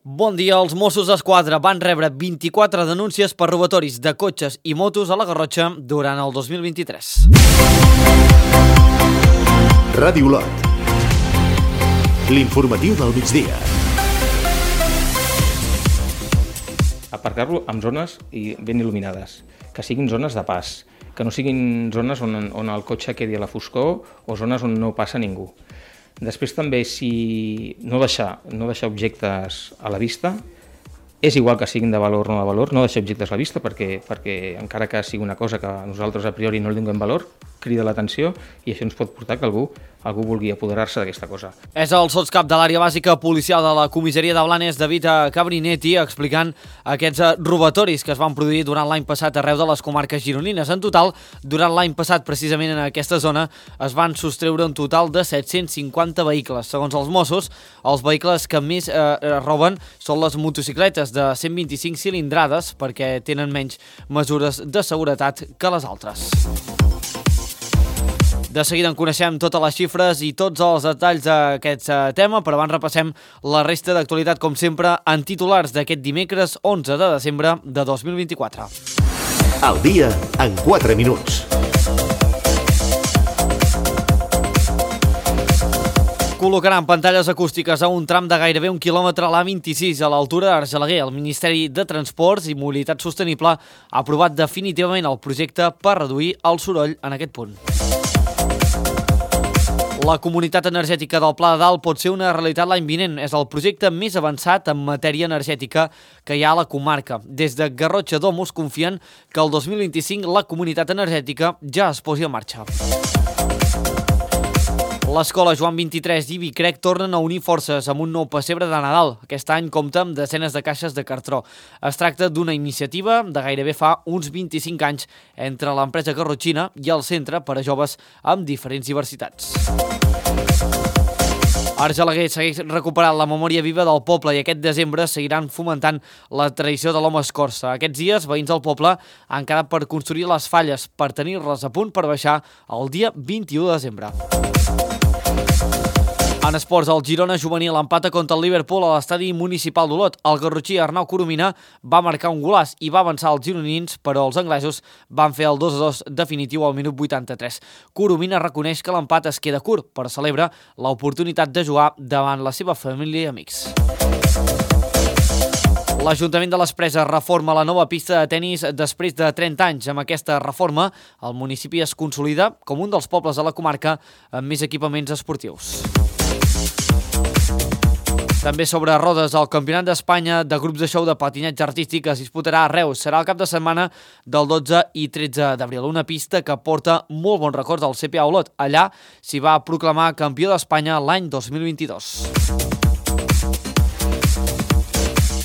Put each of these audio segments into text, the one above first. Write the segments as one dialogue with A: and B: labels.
A: Bon dia, els Mossos d'Esquadra van rebre 24 denúncies per robatoris de cotxes i motos a la Garrotxa durant el 2023.
B: Ràdio Lot. L'informatiu del migdia.
C: Aparcar-lo en zones ben il·luminades, que siguin zones de pas, que no siguin zones on el cotxe quedi a la foscor o zones on no passa ningú. Després també, si no deixar objectes a la vista, és igual que siguin de valor o no de valor, no deixar objectes a la vista perquè encara que sigui una cosa que nosaltres a priori no li donem valor, crida l'atenció i això ens pot portar que algú vulgui apoderar-se d'aquesta cosa.
A: És el sotscap de l'àrea bàsica policial de la comissaria de Blanes, David Cabrinetti, explicant aquests robatoris que es van produir durant l'any passat arreu de les comarques gironines. En total, durant l'any passat, precisament en aquesta zona, es van sostreure un total de 750 vehicles. Segons els Mossos, els vehicles que més roben són les motocicletes de 125 cilindrades perquè tenen menys mesures de seguretat que les altres. De seguida en coneixem totes les xifres i tots els detalls d'aquest tema, però abans repassem la resta d'actualitat, com sempre, en titulars d'aquest dimecres 11 de desembre de 2024.
B: Al dia en 4 minuts.
A: Col·locaran pantalles acústiques a un tram de gairebé 1 quilòmetre a l'A26 a l'altura d'Argelaguer. El Ministeri de Transports i Mobilitat Sostenible ha aprovat definitivament el projecte per reduir el soroll en aquest punt. La comunitat energètica del Pla de Dalt pot ser una realitat l'any vinent. És el projecte més avançat en matèria energètica que hi ha a la comarca. Des de Garrotxa Domus confien que el 2025 la comunitat energètica ja es posi en marxa. L'escola Joan 23 i Vicrec tornen a unir forces amb un nou pessebre de Nadal. Aquest any compta amb desenes de caixes de cartró. Es tracta d'una iniciativa de gairebé fa uns 25 anys entre l'empresa garrotxina i el centre per a joves amb diferents diversitats. Argelaguer segueix recuperant la memòria viva del poble i aquest desembre seguiran fomentant la tradició de l'home escorça. Aquests dies, veïns del poble han quedat per construir les falles per tenir-les a punt per baixar el dia 21 de desembre. En esports, el Girona juvenil empata contra el Liverpool a l'estadi municipal d'Olot. El garrotxí Arnau Coromina va marcar un golaç i va avançar els gironins, però els anglesos van fer el 2-2 definitiu al minut 83. Coromina reconeix que l'empat es queda curt, però celebra l'oportunitat de jugar davant la seva família i amics. L'Ajuntament de les Preses reforma la nova pista de tennis després de 30 anys. Amb aquesta reforma, el municipi es consolida com un dels pobles de la comarca amb més equipaments esportius. També sobre rodes, el Campionat d'Espanya de grups de show de patinatge artístic es disputarà a Reus. Serà el cap de setmana del 12 i 13 d'abril. Una pista que porta molt bons records al CPA Olot. Allà s'hi va proclamar campió d'Espanya l'any 2022.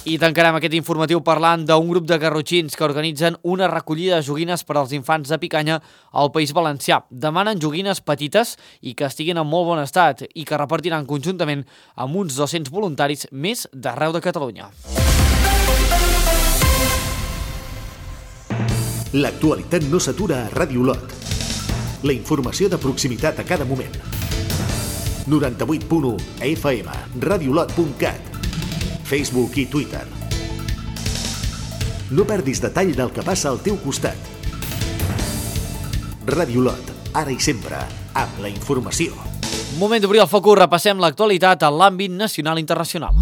A: I tancarem aquest informatiu parlant d'un grup de garrotxins que organitzen una recollida de joguines per als infants de Picanya al País Valencià. Demanen joguines petites i que estiguin en molt bon estat i que repartiran conjuntament amb uns 200 voluntaris més d'arreu de Catalunya.
B: L'actualitat no s'atura a Ràdio Lot. La informació de proximitat a cada moment. 98.1 FM, radiolot.cat, Facebook i Twitter. No perdis detall del que passa al teu costat. Ràdio Lot, ara i sempre, amb la informació.
A: Moment d'obrir el focus, repassem l'actualitat en l'àmbit nacional i internacional.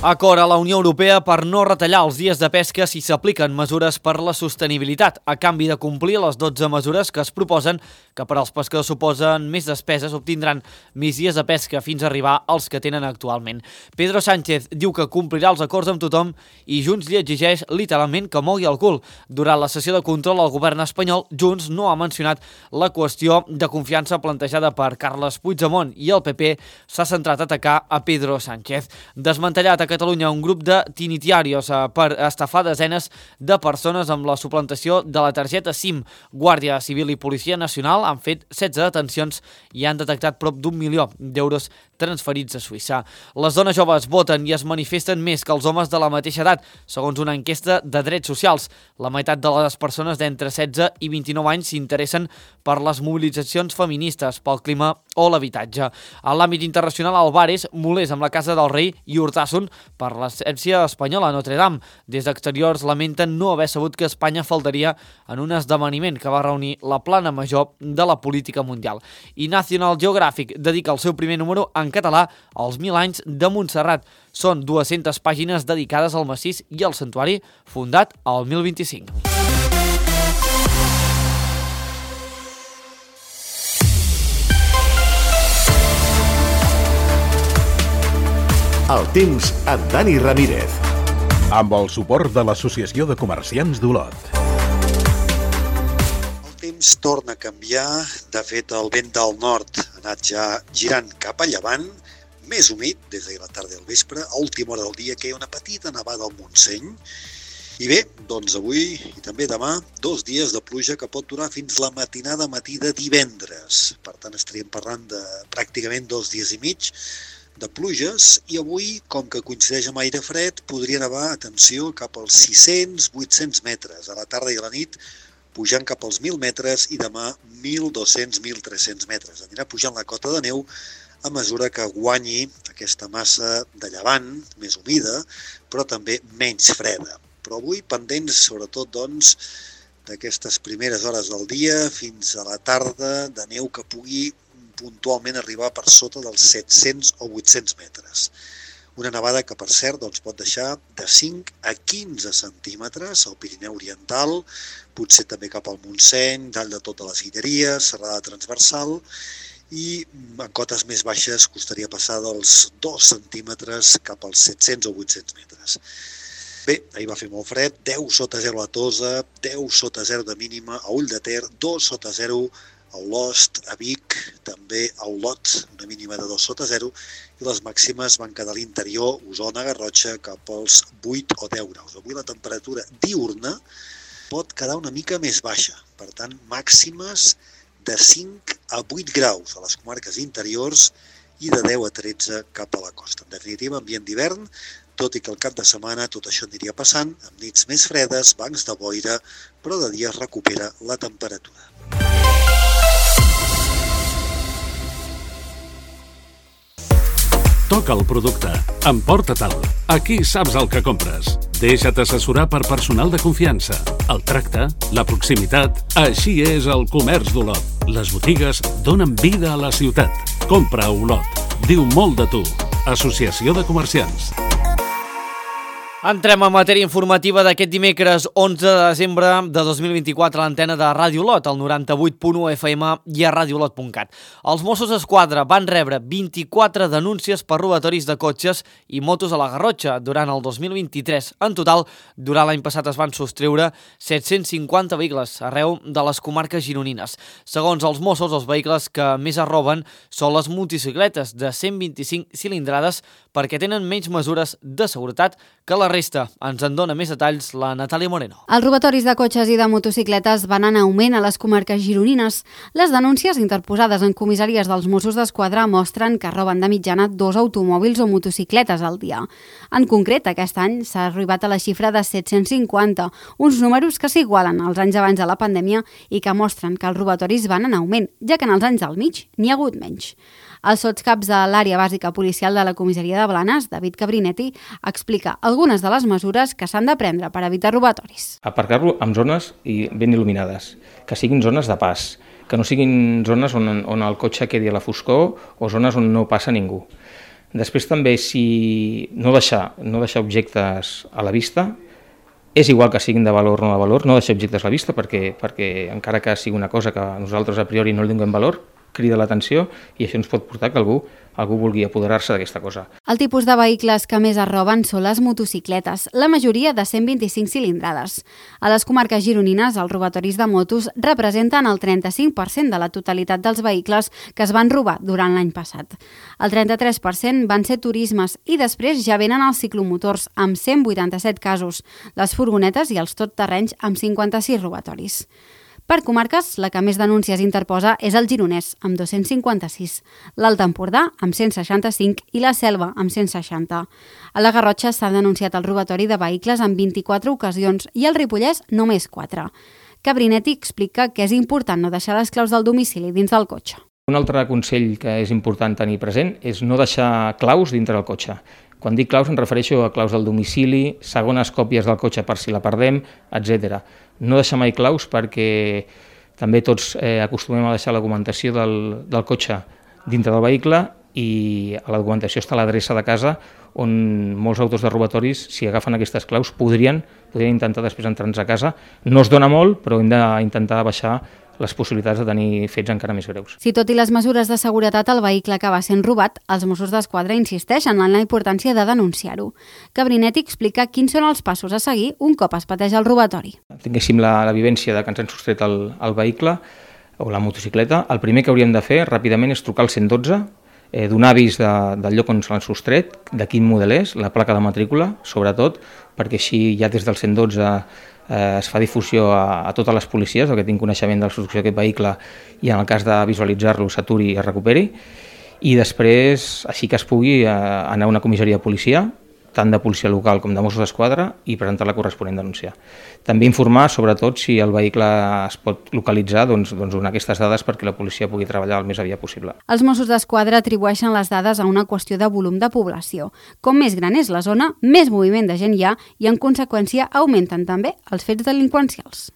A: Acord a la Unió Europea per no retallar els dies de pesca si s'apliquen mesures per la sostenibilitat, a canvi de complir les 12 mesures que es proposen, que per als pescadors suposen més despeses, obtindran més dies de pesca fins a arribar als que tenen actualment. Pedro Sánchez diu que complirà els acords amb tothom i Junts li exigeix literalment que mogui el cul. Durant la sessió de control al govern espanyol, Junts no ha mencionat la qüestió de confiança plantejada per Carles Puigdemont i el PP s'ha centrat a atacar a Pedro Sánchez. Desmantellat a Catalunya un grup de tinitiarios per estafar desenes de persones amb la suplantació de la targeta SIM. Guàrdia Civil i Policia Nacional han fet 16 detencions i han detectat prop d'1 milió d'euros transferits a Suïssa. Les dones joves voten i es manifesten més que els homes de la mateixa edat, segons una enquesta de drets socials. La meitat de les persones d'entre 16 i 29 anys s'interessen per les mobilitzacions feministes, pel clima o l'habitatge. En l'àmbit internacional, Álvarez molest amb la Casa del Rei i Urtasun per l'absència espanyola a Notre Dame. Des d'exteriors lamenten no haver sabut que Espanya faltaria en un esdeveniment que va reunir la plana major de la política mundial. I National Geographic dedica el seu primer número en català als 1000 anys de Montserrat. Són 200 pàgines dedicades al massís i al santuari fundat al 1025.
B: El temps amb Dani Ramírez.
D: Amb el suport de l'Associació de Comerciants d'Olot.
E: El temps torna a canviar. De fet, el vent del nord ha anat ja girant cap a llevant, més humit des de la tarda al vespre. A última hora del dia que hi ha una petita nevada al Montseny. I bé, doncs avui i també demà, 2 dies de pluja que pot durar fins la matinada matí de divendres. Per tant, estaríem parlant de pràcticament 2 dies i mig de pluges, i avui, com que coincideix amb aire fred, podria nevar, atenció, cap als 600-800 metres. A la tarda i a la nit, pujant cap als 1.000 metres, i demà 1.200-1.300 metres. Anirà pujant la cota de neu a mesura que guanyi aquesta massa de llevant, més humida, però també menys freda. Però avui pendents, sobretot, doncs, d'aquestes primeres hores del dia fins a la tarda, de neu que pugui puntualment arribar per sota dels 700 o 800 metres. Una nevada que, per cert, doncs, pot deixar de 5 a 15 centímetres al Pirineu Oriental, potser també cap al Montseny, dalt de totes les Guilleries, serrada transversal, i en cotes més baixes costaria passar dels 2 centímetres cap als 700 o 800 metres. Bé, ahir va fer molt fred, 10 sota 0 a Tosa, 10 sota 0 de mínima a Ull de Ter, 2 sota 0 a Olost, a Vic, també a Olot, una mínima de 2 sota 0, i les màximes van quedar a l'interior, Osona, Garrotxa, cap als 8 o 10 graus. Avui la temperatura diurna pot quedar una mica més baixa, per tant, màximes de 5 a 8 graus a les comarques interiors i de 10 a 13 cap a la costa. En definitiva, ambient d'hivern, tot i que el cap de setmana tot això aniria passant, amb nits més fredes, bancs de boira, però de dia es recupera la temperatura.
F: Toca el producte. Emporta-te'l. Aquí saps el que compres. Deixa't assessorar per personal de confiança. El tracte, la proximitat, així és el comerç d'Olot. Les botigues donen vida a la ciutat. Compra a Olot. Diu molt de tu. Associació de Comerciants.
A: Entrem a matèria informativa d'aquest dimecres 11 de desembre de 2024 a l'antena de Ràdio Olot, al 98.1 FM i a radioolot.cat. Els Mossos d'Esquadra van rebre 24 denúncies per robatoris de cotxes i motos a la Garrotxa durant el 2023. En total, durant l'any passat es van sostreure 750 vehicles arreu de les comarques gironines. Segons els Mossos, els vehicles que més es roben són les motocicletes de 125 cilindrades perquè tenen menys mesures de seguretat que la resta. Ens en dona més detalls la Natàlia Moreno.
G: Els robatoris de cotxes i de motocicletes van en augment a les comarques gironines. Les denúncies interposades en comissaries dels Mossos d'Esquadra mostren que roben de mitjana 2 automòbils o motocicletes al dia. En concret, aquest any s'ha arribat a la xifra de 750, uns números que s'igualen als anys abans de la pandèmia i que mostren que els robatoris van en augment, ja que en els anys del mig n'hi ha hagut menys. El sotscaps de l'àrea bàsica policial de la comissaria de Blanes, David Cabrinetti, explica algunes de les mesures que s'han de prendre per evitar robatoris.
C: Aparcar-lo en zones ben il·luminades, que siguin zones de pas, que no siguin zones on el cotxe quedi a la foscor o zones on no passa ningú. Després també, si no deixar objectes a la vista, és igual que siguin de valor o no de valor, no deixar objectes a la vista perquè encara que sigui una cosa que nosaltres a priori no li donem valor, crida l'atenció i això ens pot portar que algú vulgui apoderar-se d'aquesta cosa.
G: El tipus de vehicles que més es roben són les motocicletes, la majoria de 125 cilindrades. A les comarques gironines, els robatoris de motos representen el 35% de la totalitat dels vehicles que es van robar durant l'any passat. El 33% van ser turismes i després ja venen els ciclomotors, amb 187 casos, les furgonetes i els totterrenys amb 56 robatoris. Per comarques, la que més denúncies interposa és el Gironès, amb 256, l'Alt Empordà, amb 165 i la Selva, amb 160. A la Garrotxa s'ha denunciat el robatori de vehicles en 24 ocasions i al Ripollès només 4. Cabrinetti explica que és important no deixar les claus del domicili dins del cotxe.
C: Un altre consell que és important tenir present és no deixar claus dintre del cotxe. Quan dic claus em refereixo a claus del domicili, segones còpies del cotxe per si la perdem, etc. No deixar mai claus perquè també tots acostumem a deixar la documentació del cotxe dintre del vehicle i a la documentació està l'adreça de casa on molts autors de robatoris, si agafen aquestes claus, podrien intentar després entrar-nos a casa. No es dona molt, però hem d'intentar baixar les possibilitats de tenir fets encara més greus.
G: Si tot i les mesures de seguretat el vehicle acaba sent robat, els Mossos d'Esquadra insisteixen en la importància de denunciar-ho. Cabrinetti explica quins són els passos a seguir un cop es pateix el robatori.
C: Tinguéssim la vivència de que ens han sostret el vehicle o la motocicleta, el primer que hauríem de fer ràpidament és trucar al 112, donar avís del lloc on se l'han sostret, de quin model és, la placa de matrícula, sobretot, perquè així ja des del 112 es fa difusió a totes les policies, el que tinc coneixement de la solució d'aquest vehicle i en el cas de visualitzar-lo s'aturi i es recuperi, i després, així que es pugui, anar a una comissaria de policia, tant de policia local com de Mossos d'Esquadra, i presentar la corresponent denúncia. També informar, sobretot, si el vehicle es pot localitzar, doncs donar aquestes dades perquè la policia pugui treballar el més aviat possible.
G: Els Mossos d'Esquadra atribueixen les dades a una qüestió de volum de població. Com més gran és la zona, més moviment de gent hi ha i, en conseqüència, augmenten també els fets delinqüencials.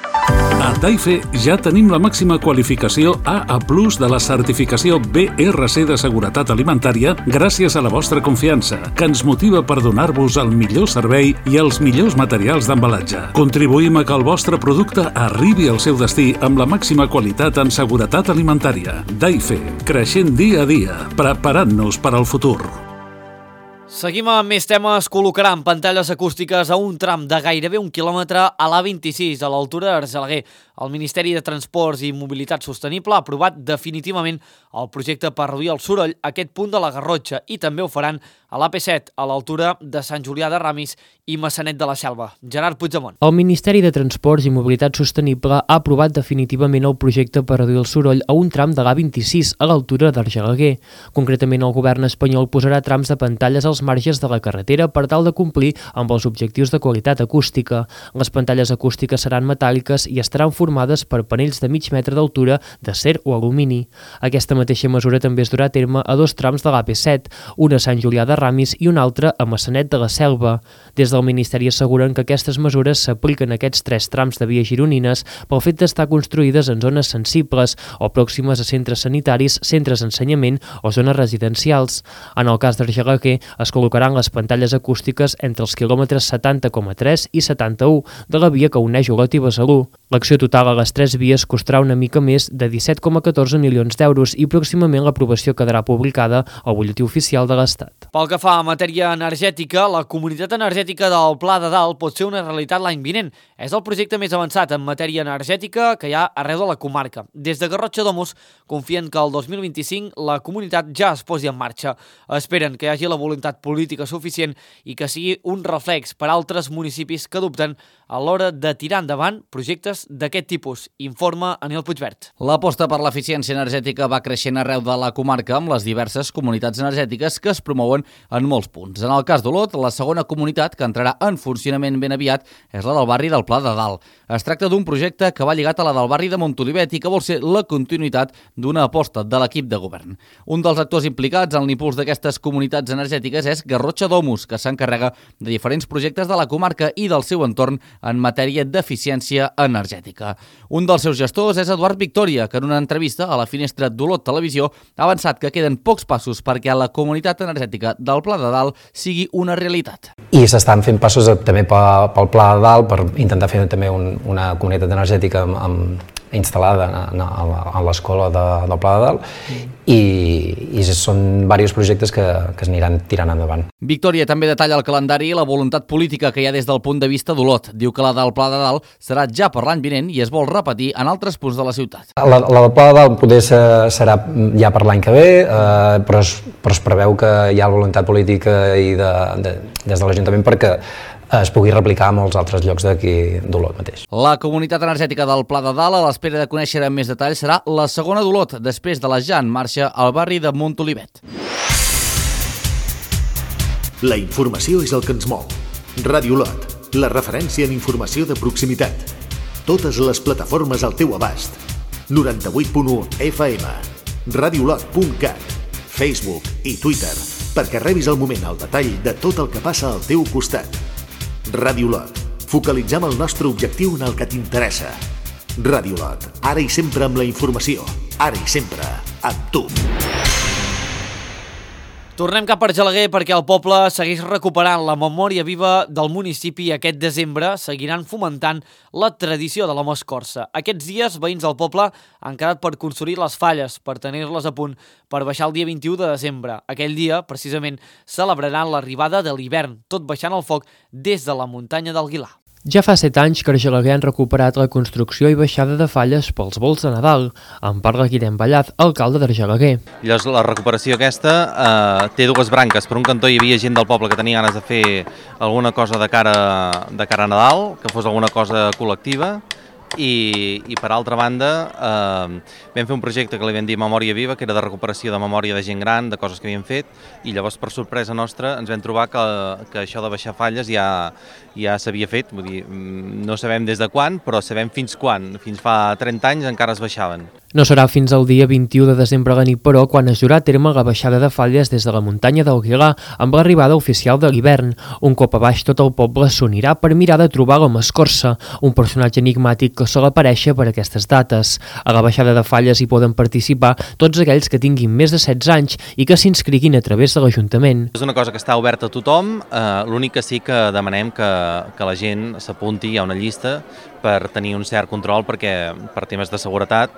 F: A Taife ja tenim la màxima qualificació AA+ de la certificació BRC de seguretat alimentària gràcies a la vostra confiança, que ens motiva per donar-vos el millor servei i els millors materials d'embalatge. Contribuïm a que el vostre producte arribi al seu destí amb la màxima qualitat en seguretat alimentària. Taife, creixent dia a dia, preparant-nos per al futur.
A: Seguim amb més temes. Col·locaran pantalles acústiques a un tram de gairebé 1 quilòmetre a l'A26, a l'altura d'Argelaguer. El Ministeri de Transports i Mobilitat Sostenible ha aprovat definitivament el projecte per reduir el soroll a aquest punt de la Garrotxa i també ho faran a l'AP7, a l'altura de Sant Julià de Ramis i Maçanet de la Selva. Gerard Puigdemont.
H: El Ministeri de Transports i Mobilitat Sostenible ha aprovat definitivament el projecte per reduir el soroll a un tram de l'A26 a l'altura d'Argelaguer. Concretament, el govern espanyol posarà trams de pantalles als marges de la carretera per tal de complir amb els objectius de qualitat acústica. Les pantalles acústiques seran metàl·liques i estaran formades per panells de mig metre d'altura d'acer o alumini. Aquesta mateixa mesura també es durà a terme a 2 trams de l'AP7, un a Sant Julià de Ramis i un altre a Maçanet de la Selva. Des del Ministeri asseguren que aquestes mesures s'apliquen a aquests 3 trams de vies gironines pel fet d'estar construïdes en zones sensibles o pròximes a centres sanitaris, centres d'ensenyament o zones residencials. En el cas d'Argelaguer, es col·locaran les pantalles acústiques entre els quilòmetres 70,3 i 71 de la via que uneix Olot i Besalú. L'acció total a les 3 vies costarà una mica més de 17,14 milions d'euros i pròximament l'aprovació quedarà publicada al Butlletí Oficial de l'Estat.
A: Pel que fa a matèria energètica, la comunitat energètica del Pla de Dalt pot ser una realitat l'any vinent. És el projecte més avançat en matèria energètica que hi ha arreu de la comarca. Des de Garrotxa Domus confien que el 2025 la comunitat ja es posi en marxa. Esperen que hi hagi la voluntat política suficient i que sigui un reflex per a altres municipis que dubten a l'hora de tirar endavant projectes d'aquest tipus, informa Aniel Puigvert.
I: L'aposta per l'eficiència energètica va creixent arreu de la comarca amb les diverses comunitats energètiques que es promouen en molts punts. En el cas d'Olot, la segona comunitat que entrarà en funcionament ben aviat és la del barri del Pla de Dalt. Es tracta d'un projecte que va lligat a la del barri de Montolivet i que vol ser la continuïtat d'una aposta de l'equip de govern. Un dels actors implicats en l'impuls d'aquestes comunitats energètiques és Garrotxa Domus, que s'encarrega de diferents projectes de la comarca i del seu entorn en matèria d'eficiència energètica. Un dels seus gestors és Eduard Victòria, que en una entrevista a la finestra d'Olot Televisió ha avançat que queden pocs passos perquè la comunitat energètica del Pla de Dalt sigui una realitat.
J: I s'estan fent passos també pel Pla de Dalt per intentar fer també una comunitat energètica instal·lada a l'escola del Pla de Dalt i són diversos projectes que es aniran tirant endavant.
I: Victòria també detalla el calendari i la voluntat política que hi ha des del punt de vista d'Olot. Diu que la del Pla de Dalt serà ja per l'any vinent i es vol repetir en altres punts de la ciutat.
J: La del Pla de Dalt poder serà ja per l'any que ve, però es preveu que hi ha voluntat política i des de l'Ajuntament perquè es pugui replicar a molts altres llocs d'aquí d'Olot mateix.
I: La comunitat energètica del Pla de Dalt, a l'espera de conèixer amb més detalls, serà la segona d'Olot, després de la ja en marxa al barri de Montolivet.
B: La informació és el que ens mou. Ràdio Olot, la referència en informació de proximitat. Totes les plataformes al teu abast. 98.1 FM, radiolot.cat, Facebook i Twitter, perquè rebis al moment el detall de tot el que passa al teu costat. Ràdio Olot, focalitzem el nostre objectiu en el que t'interessa. Ràdio Olot, ara i sempre amb la informació, ara i sempre amb tu.
A: Tornem cap a Argelaguer perquè el poble segueix recuperant la memòria viva del municipi i aquest desembre seguiran fomentant la tradició de la Moscorça. Aquests dies, veïns del poble han quedat per construir les falles, per tenir-les a punt per baixar el dia 21 de desembre. Aquell dia, precisament, celebraran l'arribada de l'hivern, tot baixant el foc des de la muntanya d'Alguilar.
H: Ja fa 7 anys que Argelaguer han recuperat la construcció i baixada de falles pels vols de Nadal. En parla Guillem Ballaz, alcalde d'Argelaguer.
K: Llavors, la recuperació aquesta té dues branques. Per un cantó hi havia gent del poble que tenia ganes de fer alguna cosa de cara a Nadal, que fos alguna cosa col·lectiva, i per altra banda vam fer un projecte que li vam dir Memòria Viva, que era de recuperació de memòria de gent gran, de coses que havíem fet, i llavors per sorpresa nostra ens vam trobar que això de baixar falles ja s'havia fet, vull dir, no sabem des de quan, però sabem fins quan. Fins fa 30 anys encara es baixaven.
H: No serà fins al dia 21 de desembre a la nit, però, quan es durà a terme la baixada de falles des de la muntanya d'Alguilar amb l'arribada oficial de l'hivern. Un cop a baix, tot el poble s'unirà per mirar de trobar la Moscorça, un personatge enigmàtic que sol aparèixer per aquestes dates. A la baixada de falles hi poden participar tots aquells que tinguin més de 16 anys i que s'inscriguin a través de l'Ajuntament.
K: És una cosa que està oberta a tothom, l'únic que sí que demanem que la gent s'apunti, hi ha una llista, per tenir un cert control, perquè per temes de seguretat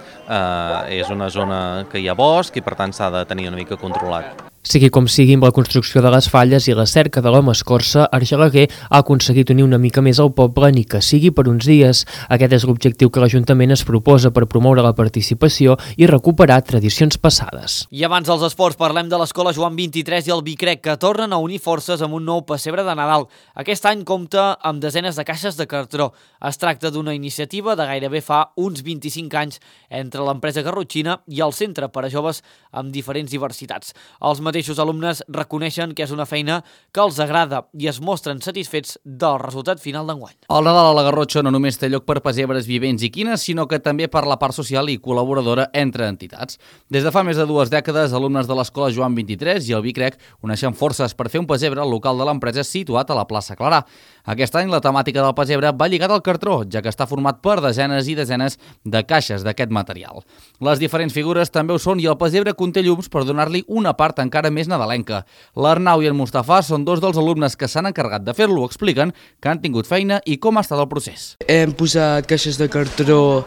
K: és una zona que hi ha bosc i per tant s'ha de tenir una mica controlat.
H: Sigui com sigui, amb la construcció de les falles i la cerca de la Moscorça, Argelaguer ha aconseguit unir una mica més al poble, ni que sigui per uns dies. Aquest és l'objectiu que l'Ajuntament es proposa per promoure la participació i recuperar tradicions passades.
A: I abans dels esports parlem de l'Escola Joan 23 i el Bicrec, que tornen a unir forces amb un nou pessebre de Nadal. Aquest any compta amb desenes de caixes de cartró. Es tracta d'una iniciativa de gairebé fa uns 25 anys entre l'empresa garrotxina i el Centre per a Joves amb diferents diversitats. Els mateixos alumnes reconeixen que és una feina que els agrada i es mostren satisfets del resultat final d'enguany.
I: El Nadal a la Garrotxa no només té lloc per pessebres vivents i quines, sinó que també per la part social i col·laboradora entre entitats. Des de fa més de 2 dècades, alumnes de l'Escola Joan 23 i el Bicrec uneixen forces per fer un pessebre al local de l'empresa situat a la plaça Clarà. Aquest any la temàtica del pessebre va lligada al cartró, ja que està format per desenes i desenes de caixes d'aquest material. Les diferents figures també ho són i el pessebre conté llums per donar-li una part encara més nadalenca. L'Arnau i en Mustafà són 2 dels alumnes que s'han encarregat de fer-lo. Expliquen que han tingut feina i com ha estat el procés.
L: Hem posat caixes de cartró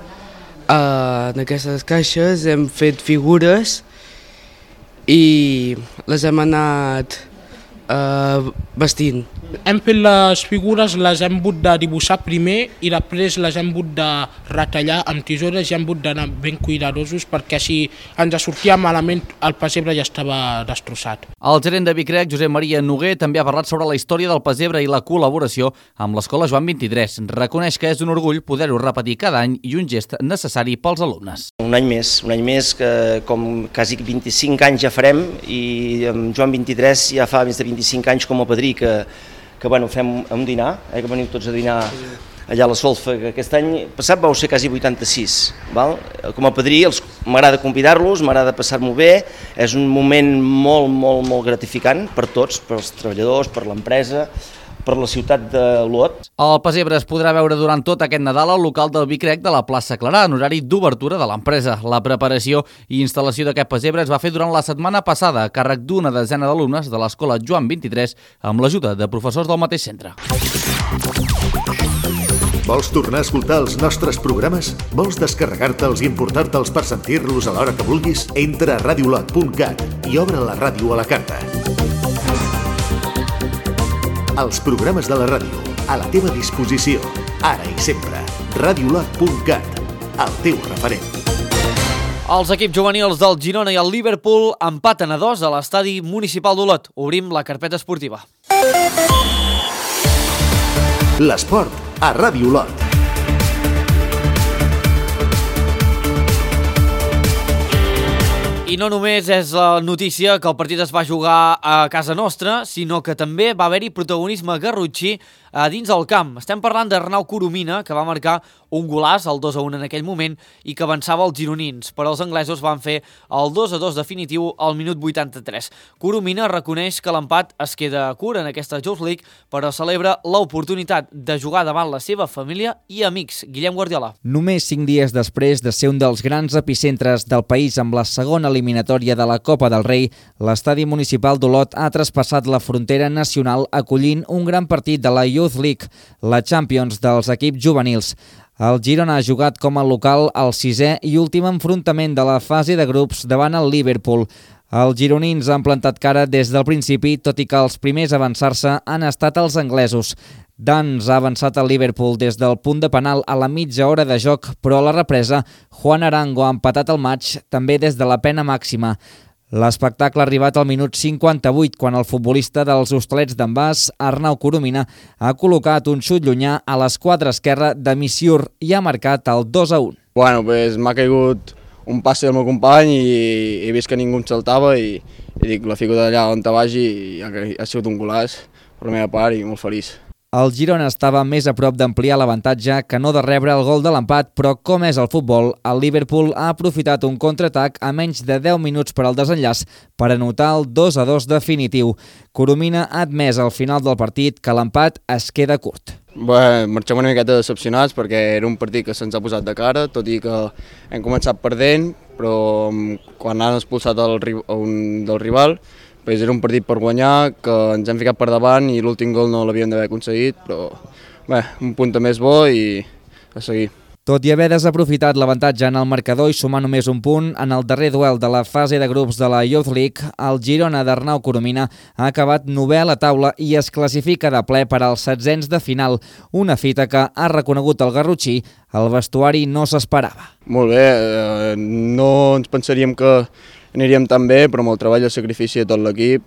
L: en aquestes caixes, hem fet figures i les hem anat vestint.
M: Hem fet les figures, les hem hagut de dibuixar primer i després les hem hagut de retallar amb tisores i hem hagut d'anar ben cuidadosos perquè si ens sortia malament el pessebre ja estava destrossat.
I: El gerent de Bicrec, Josep Maria Noguer, també ha parlat sobre la història del pessebre i la col·laboració amb l'Escola Joan 23. Reconeix que és un orgull poder-ho repetir cada any i un gest necessari pels alumnes.
N: Un any més que com quasi 25 anys ja farem i amb Joan 23 ja fa més de 25 anys com a padrí que fem un dinar, que veniu tots a dinar allà a la Solfa, que aquest any passat vau ser quasi 86. Val? Com a padrí m'agrada convidar-los, m'agrada passar-m'ho bé, és un moment molt gratificant per tots, per els treballadors, per l'empresa, per la ciutat d'Olot.
I: El pessebre es podrà veure durant tot aquest Nadal al local del Bicrec de la plaça Clarà, en horari d'obertura de l'empresa. La preparació i instal·lació d'aquest pessebre es va fer durant la setmana passada a càrrec d'una desena d'alumnes de l'Escola Joan 23 amb l'ajuda de professors del mateix centre.
B: Vols tornar a escoltar els nostres programes? Vols descarregar-te'ls i emportar-te'ls per sentir-los a l'hora que vulguis? Entra a radiolot.cat i obre la ràdio a la carta. Els programes de la ràdio, a la teva disposició, ara i sempre. Radiolot.cat, el teu referent.
A: Els equips juvenils del Girona i el Liverpool empaten a 2 a l'estadi municipal d'Olot. Obrim la carpeta esportiva.
B: L'esport a Ràdio Olot.
A: I no només és la notícia que el partit es va jugar a casa nostra, sinó que també va haver-hi protagonisme garrotxí a dins del camp. Estem parlant d'Arnau Coromina, que va marcar un golàs, el 2-1 en aquell moment, i que avançava els gironins. Però els anglesos van fer el 2-2 definitiu al minut 83. Coromina reconeix que l'empat es queda curt en aquesta Youth League, però celebra l'oportunitat de jugar davant la seva família i amics. Guillem Guardiola.
O: Només 5 dies després de ser un dels grans epicentres del país amb la segona eliminatòria de la Copa del Rei, l'estadi municipal d'Olot ha traspassat la frontera nacional acollint un gran partit de la Youth League, la Champions dels equips juvenils. El Girona ha jugat com a local al 6è i últim enfrontament de la fase de grups davant el Liverpool. Els gironins han plantat cara des del principi, tot i que els primers a avançar-se han estat els anglesos. Dans ha avançat el Liverpool des del punt de penal a la mitja hora de joc, però a la represa, Juan Arango ha empatat el maig també des de la pena màxima. L'espectacle ha arribat al minut 58, quan el futbolista dels Hostalets d'en Bas, Arnau Coromina, ha col·locat un xut llunyà a l'esquadra esquerra de Missiur i ha marcat el 2-1.
P: Bueno, pues m'ha caigut un passe del meu company i he vist que ningú em saltava i dic, la fico d'allà on te vagi i ha sigut un golaç per la meva part i molt feliç.
O: El Girona estava més a prop d'ampliar l'avantatge que no de rebre el gol de l'empat, però com és el futbol, el Liverpool ha aprofitat un contraatac a menys de 10 minuts per al desenllaç per anotar el 2-2 definitiu. Coromina ha admès al final del partit que l'empat es queda curt.
P: Bé, marxem una miqueta decepcionats perquè era un partit que se'ns ha posat de cara, tot i que hem començat perdent, però quan han expulsat un del rival, era un partit per guanyar, que ens hem ficat per davant i l'últim gol no l'havíem d'haver aconseguit, però bé, un punt més bo i a seguir.
O: Tot i haver desaprofitat l'avantatge en el marcador i sumar només un punt, en el darrer duel de la fase de grups de la Youth League, el Girona d'Arnau Coromina ha acabat 9è a la taula i es classifica de ple per als 16ens de final, una fita que ha reconegut el garrotxí, el vestuari no s'esperava.
P: Molt bé, no ens pensaríem que aniríem tan bé, però amb el treball i el sacrifici de tot l'equip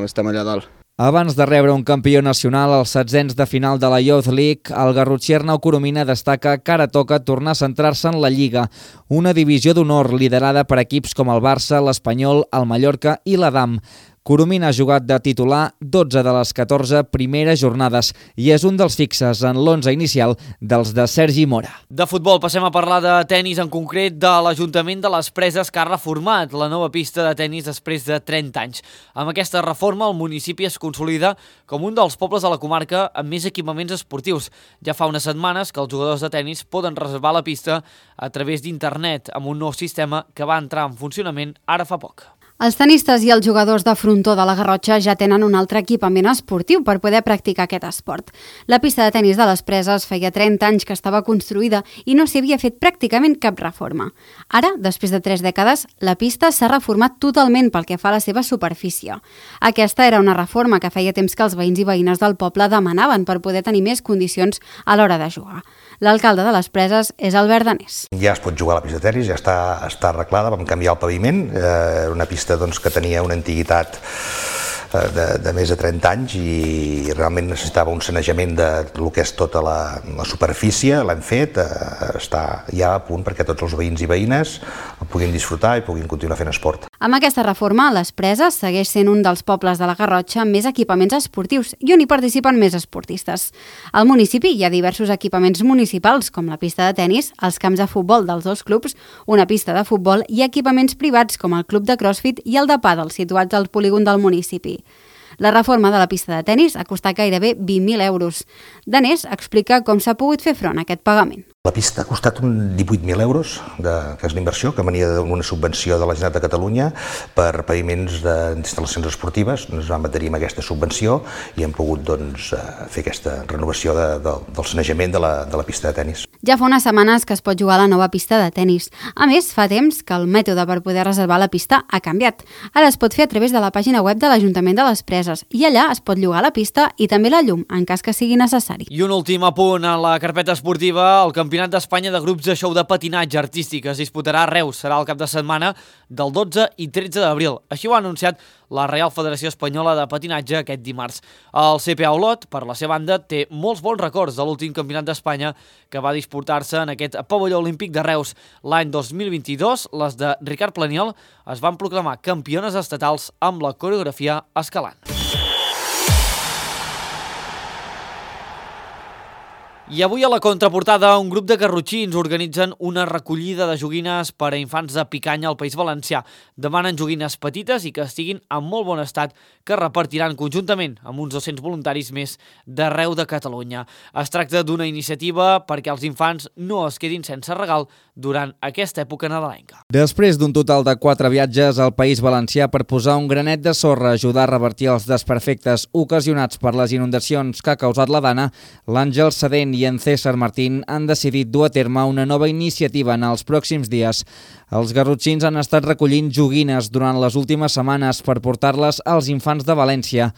P: estem allà dalt.
O: Abans de rebre un campió nacional als 16ens de final de la Youth League, el garrotxí Arnau Coromina destaca que ara toca tornar a centrar-se en la Lliga, una divisió d'honor liderada per equips com el Barça, l'Espanyol, el Mallorca i l'Adam. Coromina ha jugat de titular 12 de les 14 primeres jornades i és un dels fixes en l'11 inicial dels de Sergi Mora.
A: De futbol passem a parlar de tennis, en concret de l'Ajuntament de les Preses, que ha reformat la nova pista de tennis després de 30 anys. Amb aquesta reforma, el municipi es consolida com un dels pobles de la comarca amb més equipaments esportius. Ja fa unes setmanes que els jugadors de tennis poden reservar la pista a través d'internet amb un nou sistema que va entrar en funcionament ara fa poc.
G: Els tenistes i els jugadors de frontó de la Garrotxa ja tenen un altre equipament esportiu per poder practicar aquest esport. La pista de tenis de les Preses feia 30 anys que estava construïda i no s'hi havia fet pràcticament cap reforma. Ara, després de 3 dècades, la pista s'ha reformat totalment pel que fa a la seva superfície. Aquesta era una reforma que feia temps que els veïns i veïnes del poble demanaven per poder tenir més condicions a l'hora de jugar. L'alcalde de les Preses és Albert Danés.
Q: Ja es pot jugar a la pista de tenis, ja està arreglada, vam canviar el paviment, era una pista que tenia una antiguitat de més de 30 anys i realment necessitava un sanejament de lo que és tota la superfície, l'hem fet, està ja a punt perquè tots els veïns i veïnes el puguin disfrutar i puguin continuar fent esport.
G: Amb aquesta reforma, les Preses segueix sent un dels pobles de la Garrotxa amb més equipaments esportius i on hi participen més esportistes. Al municipi hi ha diversos equipaments municipals, com la pista de tenis, els camps de futbol dels dos clubs, una pista de futbol i equipaments privats com el club de crossfit i el de pàdel situats al polígon del municipi. La reforma de la pista de tenis ha costat gairebé 20.000 euros. Danés explica com s'ha pogut fer front a aquest pagament.
Q: La pista ha costat 18.000 euros, que és l'inversió, que venia d'una subvenció de la Generalitat de Catalunya per paviments d'instal·lacions esportives. Ens vam adherir amb aquesta subvenció i hem pogut fer aquesta renovació del sanejament de la pista de tenis.
G: Ja fa unes setmanes que es pot jugar a la nova pista de tenis. A més, fa temps que el mètode per poder reservar la pista ha canviat. Ara es pot fer a través de la pàgina web de l'Ajuntament de les Preses i allà es pot llogar la pista i també la llum, en cas que sigui necessari.
A: I un últim apunt en la carpeta esportiva, el campió Campionat d'Espanya de grups de show de patinatge artístic es disputarà a Reus. Serà el cap de setmana del 12 i 13 d'abril. Així ho ha anunciat la Real Federació Espanyola de Patinatge aquest dimarts. El CPA Olot, per la seva banda, té molts bons records de l'últim Campionat d'Espanya que va disputar-se en aquest pavelló olímpic de Reus. L'any 2022, les de Ricard Planiol es van proclamar campiones estatals amb la coreografia escalant. I avui a la contraportada un grup de garrotxins organitzen una recollida de joguines per a infants de Picanya al País Valencià. Demanen joguines petites i que estiguin en molt bon estat que repartiran conjuntament amb uns 200 voluntaris més d'arreu de Catalunya. Es tracta d'una iniciativa perquè els infants no es quedin sense regal durant aquesta època nadalenca.
O: Després d'un total de 4 viatges al País Valencià per posar un granet de sorra a ajudar a revertir els desperfectes ocasionats per les inundacions que ha causat la Dana, l'Àngel Sedent i en César Martín han decidit dur a terme una nova iniciativa en els pròxims dies. Els garrotxins han estat recollint joguines durant les últimes setmanes per portar-les als infants de València.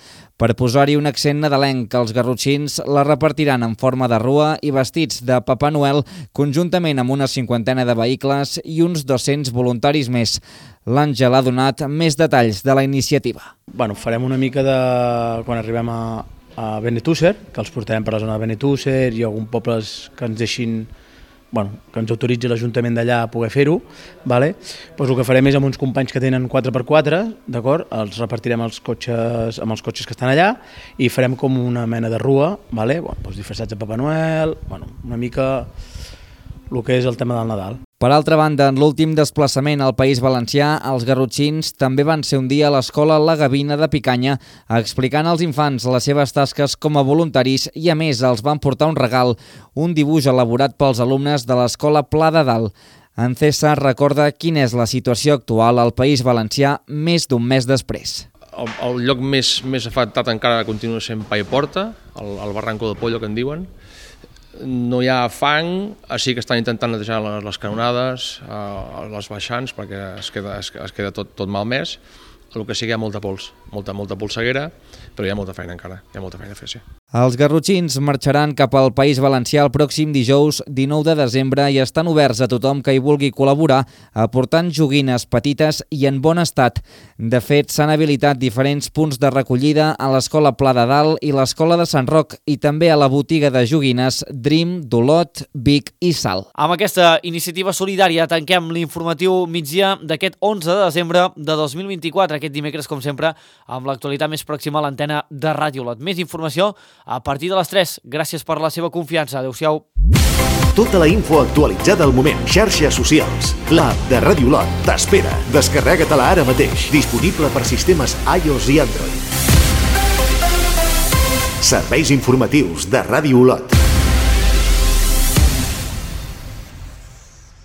O: Per posar-hi un accent nadalenc, els garrotxins la repartiran en forma de rua i vestits de Papa Noel, conjuntament amb una 50 de vehicles i uns 200 voluntaris més. L'Àngel ha donat més detalls de la iniciativa.
R: Farem una mica de... quan arribem a Benetússer, que els portarem per la zona de Benetússer i alguns pobles que ens deixin, que ens autoritzi l'Ajuntament d'allà a poder fer-ho. Doncs el que farem és amb uns companys que tenen 4x4, d'acord? Els repartirem amb els cotxes que estan allà i farem com una mena de rua, disfressats de Papa Noel, una mica el que és el tema del Nadal.
O: Per altra banda, en l'últim desplaçament al País Valencià, els garrotxins també van ser un dia a l'escola La Gavina de Picanya explicant als infants les seves tasques com a voluntaris i, a més, els van portar un regal, un dibuix elaborat pels alumnes de l'escola Pla de Dalt. En César recorda quina és la situació actual al País Valencià més d'un mes després.
S: El lloc més afectat encara continua sent Paiporta, el Barranco de Pollo, que en diuen. No hi ha fang, així que estan intentant netejar les canonades, les baixants, perquè es queda tot malmès. El que sí que hi ha molta pols, molta polseguera, però hi ha molta feina encara, hi ha molta feina a fer, sí.
O: Els garrotxins marxaran cap al País Valencià el pròxim dijous 19 de desembre i estan oberts a tothom que hi vulgui col·laborar aportant joguines petites i en bon estat. De fet, s'han habilitat diferents punts de recollida a l'Escola Pla de Dalt i l'Escola de Sant Roc i també a la botiga de joguines Dream d'Olot, Vic i Salt.
A: Amb aquesta iniciativa solidària tanquem l'informatiu migdia d'aquest 11 de desembre de 2024, aquest dimecres, com sempre, amb l'actualitat més pròxima a l'antena de Ràdio Olot. Més informació a partir de les 3. Gràcies per la seva confiança. Adéu-siau.
B: Tota la info actualitzada al moment. Xarxes socials. L'app de Ràdio Olot t'espera. Descarrega-te-la ara mateix. Disponible per sistemes iOS i Android. Serveis informatius de Ràdio Olot.